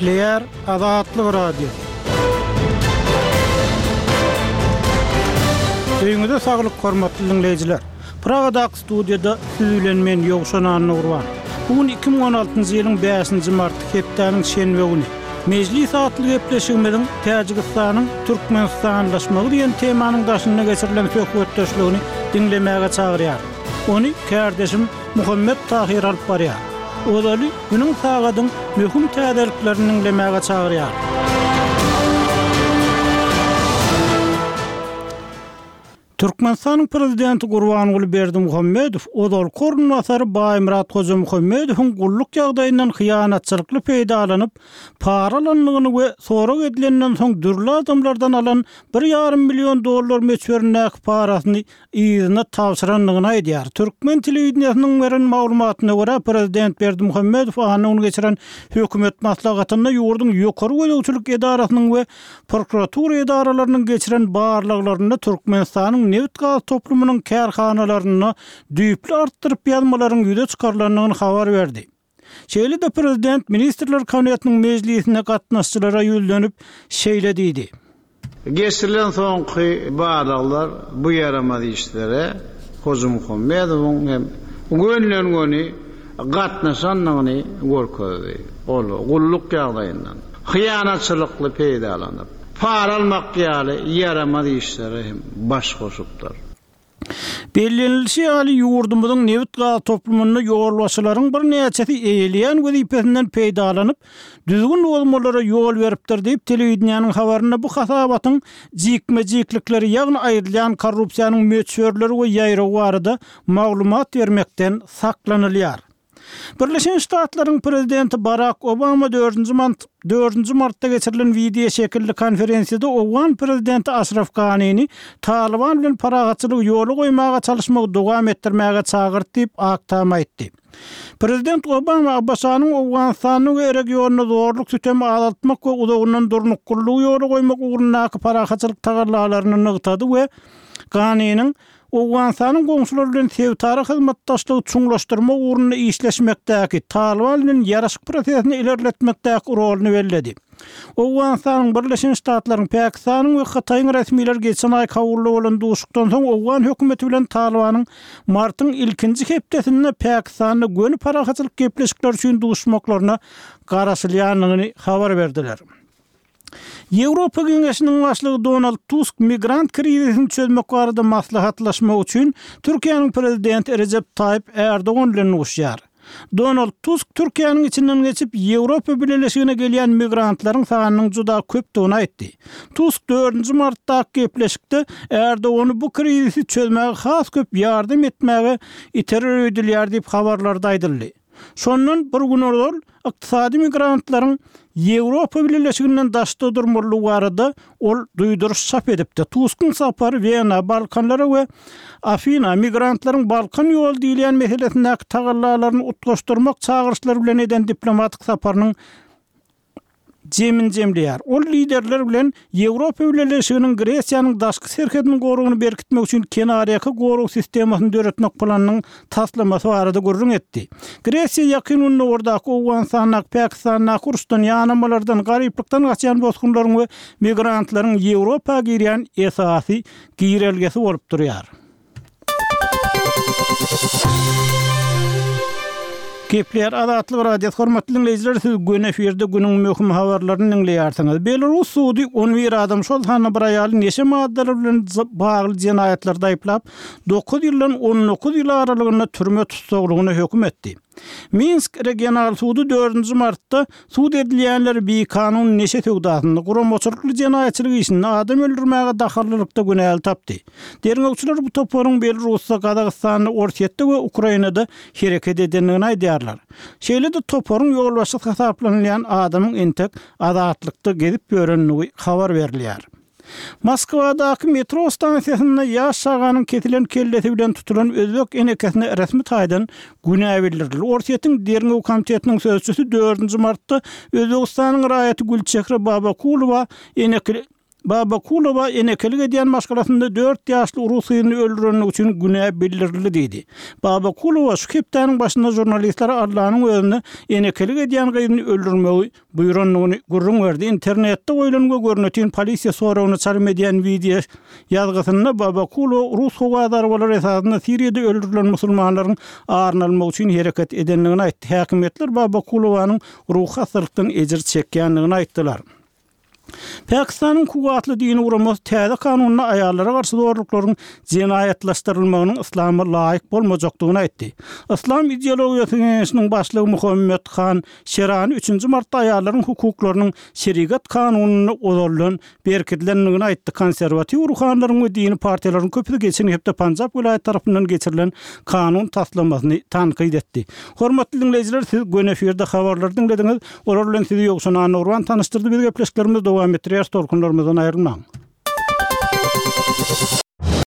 Gepleýär Azatlyk Radiosy. Öýüňize saglyk hormatly diňleýjiler! Pragadaky studiýada siz bilen men Ýowşan Annagurban. Bu gün 2016-njy ýylyň bäşinji marty hepdäniň şenbe güni. Mejlis atly gepleşigimiziň Täjigistanyň türkmenistanlaşmagy diýen temanyň daşynda geçirilen söhbetdeşligini diňlemäge çagyrýaryn. Ony kärdeşim Muhammet Tahyr alyp barýar. Ozaly günüň sagadyň möhüm täzeliklerini diňlemäge çagyrýar. Türkmenistanyň Prezidenti Gurbanguly Berdimuhamedow ozalky orunbasary Baýmyrat Hojamuhammedowyň gulluk ýagdaýyndan hyýanatçylykly peýdalanyp, para alandygyny we sorag edilenden soň dürli adamlardan alan bir ýarym million dollar möçberindäki parasyny yzyna tabşyrandygyny aýdýar. Türkmen telewideniýesiniň beren maglumatyna görä, prezident Berdimuhamedow anna güni geçiren hökümet maslahatynda ýurduň ýokary gözegçilik edarasynyň we prokuratura edaralarynyň geçiren barlaglarynda Türkmenistanyň nebit-gaz toplumynyň kärhanalarynda düýpli artdyryp ýazmalaryň ýüze çykarylandygyny habar berdi. Şeýle-de prezident Ministrler Kabinetiniň mejlisine gatnaşyjylara ýüzlenip, şeýle diýdi. Geçirilen soňky barlaglar bu ýaramaz işlere Hojamuhammedowyň hem gönüden-göni gatnaşandygyny görkezdi. Ol gulluk ýagdaýyndan hyýanatçylykly peýdalanyp, para almak ýaly ýaramaz işlere hem baş goşupdyr. Bellenilişi ýaly, ýurdumyzyň nebit-gaz toplumynda ýolbaşçylaryň birnäçesi eýeleýän wezipesinden peýdalanyp, düzgün bozmalara ýol beripdir diýip, telewideniýäniň habarynda bu hasabatyň jikme-jiklikleri, ýagny aýdylýan korrupsiýanyň möçberleri we ýaýrawy barada maglumat bermekden saklanylýar. Birleşen Ştatlaryň prezidenti Barak Obama dördünji dördünji martda geçirilen wideoşekilli konferensiýada owgan prezidenti Aşraf Ganini Talyban bilen parahatçylygy ýola goýmaga çalyşmagy dowam etdirmäge çagyrdy diýip, Ak Tam aýtdy. Prezident Obama ABŞ-nyň Owganystanda we regionda zorluk-sütemi azaltmak we uzagyndan durnuklylygy ýola goýmak ugrundaky parahatçylyk tagallalaryny nygtady we Ganiniň Owganystanyň goňşulary bilen sebitara hyzmatdaşlygy çuňlaşdyrmak ugrunda işleşmekdäki, Talyban bilen ýaraşyk prosesini ilerletmekdäki roluny belledi. Owganystanyň, Birleşen Ştatlaryň, Pakistanyň we Hytaýyň resmileri geçen aý Kabulda bolan duşuşykdan soň owgan hökümeti bilen Talybanyň martyň ilkinji hepdesinde Pakistanda göni parahatçylyk gepleşikleri üçin duşmaklaryna garaşylýandygyny habar berdiler. Ýewropa Geňeşiniň başlygy Donald Tusk migrant krizisini çözmek barada maslahatlaşmak üçin Türkiýäniň prezidenti Rejep Taýyp Ärdogan bilen duşýar. Donald Tusk Türkiýäniň içinden geçip, Ýewropa Bileleşigine gelýän migrantlaryň sanynyň juda köpdügini aýtdy. Tusk dördünji martdaky gepleşikde Ärdogany bu krizisi çözmäge has köp ýardam etmäge iterer öýdülýär diýip habarlarda aýdyldy. Şondan bir gün ozal ykdysady migrantlaryň Ýewropa Bileleşiginden daşda durmalydygy barada ol duýduryş çap edipdi. Tuskyň sapary Wena, Balkanlara we Afina migrantlaryň Balkan ýoly diýilýän meselesindäki tagallalaryny utgaşdyrmak çagyryşlary bilen eden diplomatik saparynyň jemini jemleýär. Ol liderler bilen Ýewropa Bileleşiginiň Gresiýanyň daşky serhediniň goragyny berkitmek üçin kenarýaka gorag sistemasyny döretmek planynyň taslamasy barada gürrüň etdi. Gresiýa Ýakyn Gündogardaky, Owganystandaky, Pakistandaky uruşdan, ýanamalardan, garyplykdan gaçýan bosgunlaryň we migrantlaryň Ýewropa girýän esasy girelgesi bolup durýar. Gepleýär Azatlyk Radiosy hormatly diňleýjiler siz göni efirde günüň möhüm habarlaryny diňleýärsiňiz. Belarus sudy 11 adam şol sanda bir aýaly neşe maddalary bilen bagly jenaýatlarda aýyplap, 9 ýyldan 19 ýyl aralygynda türme tussaglygyna höküm etdi. Minsk regional sudy dördünji martda sud edilýänleri bikanun neşe söwdasynda, guramaçylykly jenaýatçylyk işinde, adam öldürmäge dahyllylykda günäli tapdy. Derňewçiler bu toparyň Belarusda, Gazagystanda, Orsýetde we Ukrainada hereket edendigini aýdýarlar. Şeýle-de toparyň ýolbaşçysy hasaplanylýan adamyň entek azatlykda gezip ýörendigi habar berilýär. Moskwadaky metro stansiýasynda ýaş çaganyň kesilen kellesi bilen tutulan özbek enekesine resmi taýdan günä bildirildi. Orsýetiň Derňew komitetiniň sözçüsi dördünji martda Özbegistanyň raýaty Gülçehre Babakulowa eneke. Babakulowa enekelik edýän maşgalasynda dört ýaşly rus gyzyny öldürenligi üçin günä bildirildi diýdi. Babakulowa şu hepdäniň başynda žurnalistlere Allanyň özüne enekelik edýän gyzyny öldürmegi buýrandygyny gürrüň berdi. Internetde goýlan we görnetin polisiýa soragyna çalym edýän wideo ýazgysynda Babakulowa rus howa zarbalary esasynda Siriýada öldürilen musulmanlaryň aryny almak üçin hereket edendigini aýtdy. Häkimiýetler Babakulowanyň ruhy hassalykdan ejir çekýändigini aýtdylar. Pakistanyň kuwwatly dini guramasy täze kanunda aýallara garşy zorluklaryň jenaýatlaşdyrylmagynyň yslama laýyk bolmajakdygyny aýtdy. Yslam ideologiýasy geňeşiniň başlygy Muhammet Han Şerani üçünji martda aýallaryň hukuklarynyň şerigat kanunynda ozaldan berkidilendigini aýtdy. Konserwatiw ruhanylaryň we dini partiýalaryň köpüsi geçen hepde Panjap welaýaty tarapyndan geçirilen kanun taslamasyny tankyt etdi. Hormatly diňleýjiler, siz göni efirde habarlary diňlediňiz. Olar bilen sizi Ýowşan Annagurban tanyşdyrdy. Biz gepleşiklerimizi dowam etdirýäris, tolkunlarymyzdan aýrylmaň.